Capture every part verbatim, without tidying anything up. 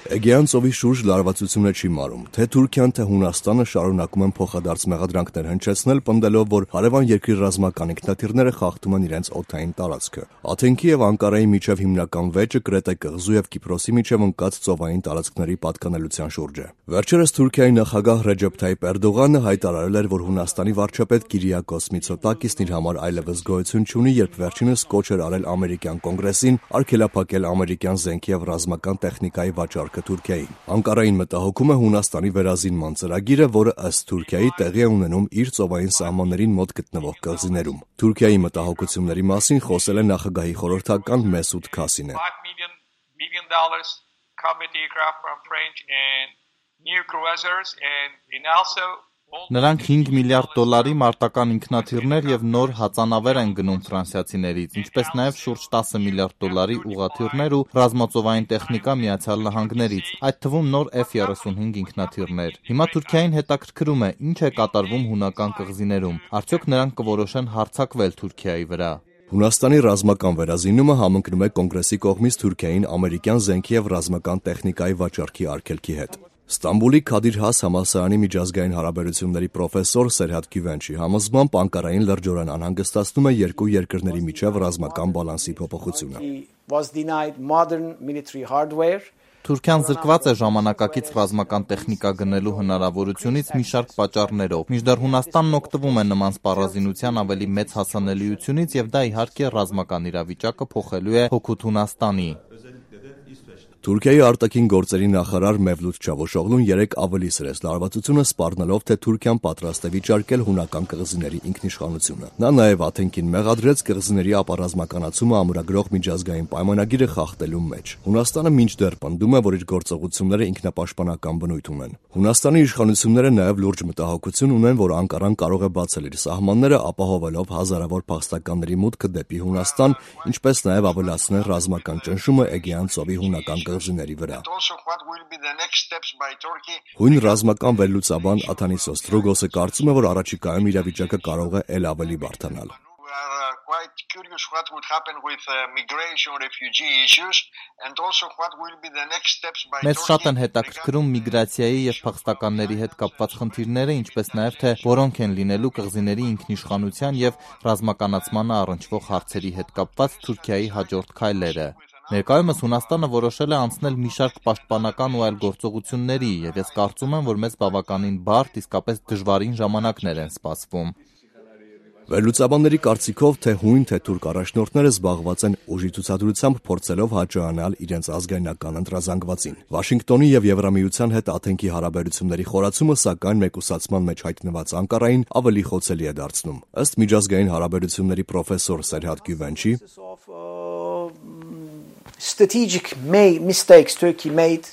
Էգեյան ծովի շուրջ լարվածությունը չի մարում, թե Թուրքիան, թե Հունաստանը շարունակում են փոխադարձ մեղադրանքներ հնչեցնել, պնդելով, որ հարևան երկրի ռազմական ինքնաթիռները խախտում են իրենց օդային տարածքը։ Աթենքի եւ Անկարայի միջև հիմնական վեճը Կրետե կղզու եւ Կիպրոսի միջև ընկած ծովային տարածքների պատկանելության շուրջ է։ Վերջերս Թուրքիայի նախագահ Ռեջեփ Թայիփ Էրդողանը հայտարարել էր, որ Հունաստանի վարչապետ Կիրիակոս Միցոտակիսն իր համար այլևս գոյություն չունի, երբ վերջինս կոչ էր արել ամերիկյան կոնգրեսին արգելափակել ամերիկյան զենքի եւ ռազմական տեխնիկայի վաճառքը Թուրքիային։ Անկարային մտահոգում է Հունաստանի վերազինման ծրագիրը, որը ըստ Թուրքիայի տեղի է ունենում իր ծովային սահմաններին մոտ գտնվող կղզիներում։ Թուրքիայի մտահոգությունների մասին խոսել է նախագահի խորհրդական Մեսուդ Քասինը։ Նրանք հինգ միլիարդ դոլարի մարտական ինքնաթիռներ եւ նոր հածանավեր են գնում ֆրանսիացիներից, ինչպես նաեւ շուրջ տասը միլիարդ դոլարի ուղղաթիռներ ու ռազմածովային տեխնիկա Միացյալ Նահանգներից, այդ թվում նոր Էֆ երեսունհինգ ինքնաթիռներ։ Հիմա Թուրքիային հետաքրքրում է, ինչ է կատարվում հունական կղզիներում, արդյոք նրանք կորոշեն հարձակվել Թուրքիայի վրա։ Հունաստանի ռազմական վերազինումը համընկնում է կոնգրեսի կողմից Թուրքիային ամերիկյան զենքի եւ ռազմական տեխնիկայի վաճառքի արգելքի հետ։ Ստամբուլի Քադիր Հաս համալսարանի միջազգային հարաբերությունների պրոֆեսոր Սերհադ Գյուվենչի համոզմամբ Անկարային լրջորեն անհանգստացնում է երկու երկրների միջև ռազմական բալանսի փոփոխությունը։ Թուրքիան զրկված է ժամանակակից ռազմական տեխնիկա գնելու հնարավորությունից մի շարք պատճառներով, մինչդեռ Հունաստանն օգտվում է նման սպառազինության ավելի մեծ հասանելիությունից եւ դա իհարկե ռազմական իրավիճակը փոխելու է հօգուտ Հունաստանի։ Թուրքիայի արտաքին գործերի նախարար Մևլութ Չավուշօղլուն երեկ ավելի սրեց լարվածությունը, սպառնալով, թե Թուրքիան պատրաստ է վիճարկել հունական կղզիների ինքնիշխանությունը։ Նա նաև Աթենքին մեղադրեց կղզիների ապառազմականացումը ամրագրող միջազգային պայմանագիրը խախտելու մեջ։ Հունաստանը մինչդեռ պնդում է, որ իր գործողությունները ինքնապաշտպանական բնույթ ունեն։ Հունաստանի իշխանությունները նաև լուրջ մտահոգություն ունեն, որ Անկարան կարող է բացել իր սահմանները, ապահովելով հազարավոր փախստականների մուտքը դեպի Հունաստան, ինչպես նաև ավելացնել ռազմական ճնշումը Էգեյան ծովի հունական կղզիների վրա։ Հույն ռազմական վերլուծաբան Աթանիսոս Դրոգոսը կարծում է, որ առաջիկայում իրավիճակը կարող է էլ ավելի բարդանալ։ Մեզ շատ են հետաքրքրում միգրացիայի եւ փախստականների հետ կապված խնդիրները, ինչպես նաեւ թե որոնք են լինելու կղզիների ինքնիշխանության եւ ռազմականացմանը առնչվող հարցերի հետ կապված Թուրքիայի հաջորդ քայլերը։ Ներկայումս Հունաստանը որոշել է անցնել մի շարք պաշտպանական ու այլ գործողությունների, եւ ես կարծում եմ, որ մեզ բավականին բարդ, իսկապես դժվարին ժամանակներ են սպասվում։ Վերլուծաբանների կարծիքով թե հույն, թե թուրք առաջնորդները զբաղված են ուժի ցուցադրությամբ փորձելով հաջողանալ իրենց ազգայնական ընտրազանգվածին։ Վաշինգտոնի եւ Եվրամիության հետ Աթենքի հարաբերությունների խորացումը, սակայն մեկուսացման մեջ հայտնված Անկարային ավելի խոցելի է դարձնում։ Ըստ միջազգային հարաբերությունների պրոֆեսոր Սերհադ Գյուվենչի, strategic mistakes Turkey made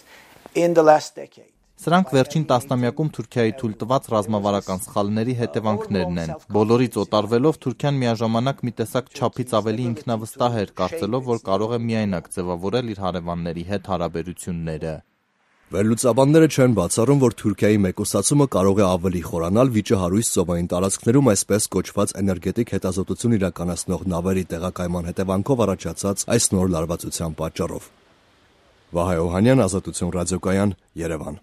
in the last decade. Սրանք վերջին տասնամյակում Թուրքիայի թույլ տված ռազմավարական սխալների հետևանքներն են։ Բոլորից օտարվելով Թուրքիան միաժամանակ մի տեսակ չափից ավելի ինքնավստահ էր, կարծելով, որ կարող է միայնակ ձևավորել իր հարևանների հետ հարաբերությունները։ Վերլուծաբանները չեն բացառում, որ Թուրքիայի մեկուսացումը կարող է ավելի խորանալ վիճահարույց ծովային տարածքներում այսպես կոչված էներգետիկ հետազոտություն իրականացնող նավերի տեղակայման հետևանքով առաջացած այս նոր լարվածության պատճառով։ Վահե Օհանյան, Ազատություն ռադիոկայան, Երևան։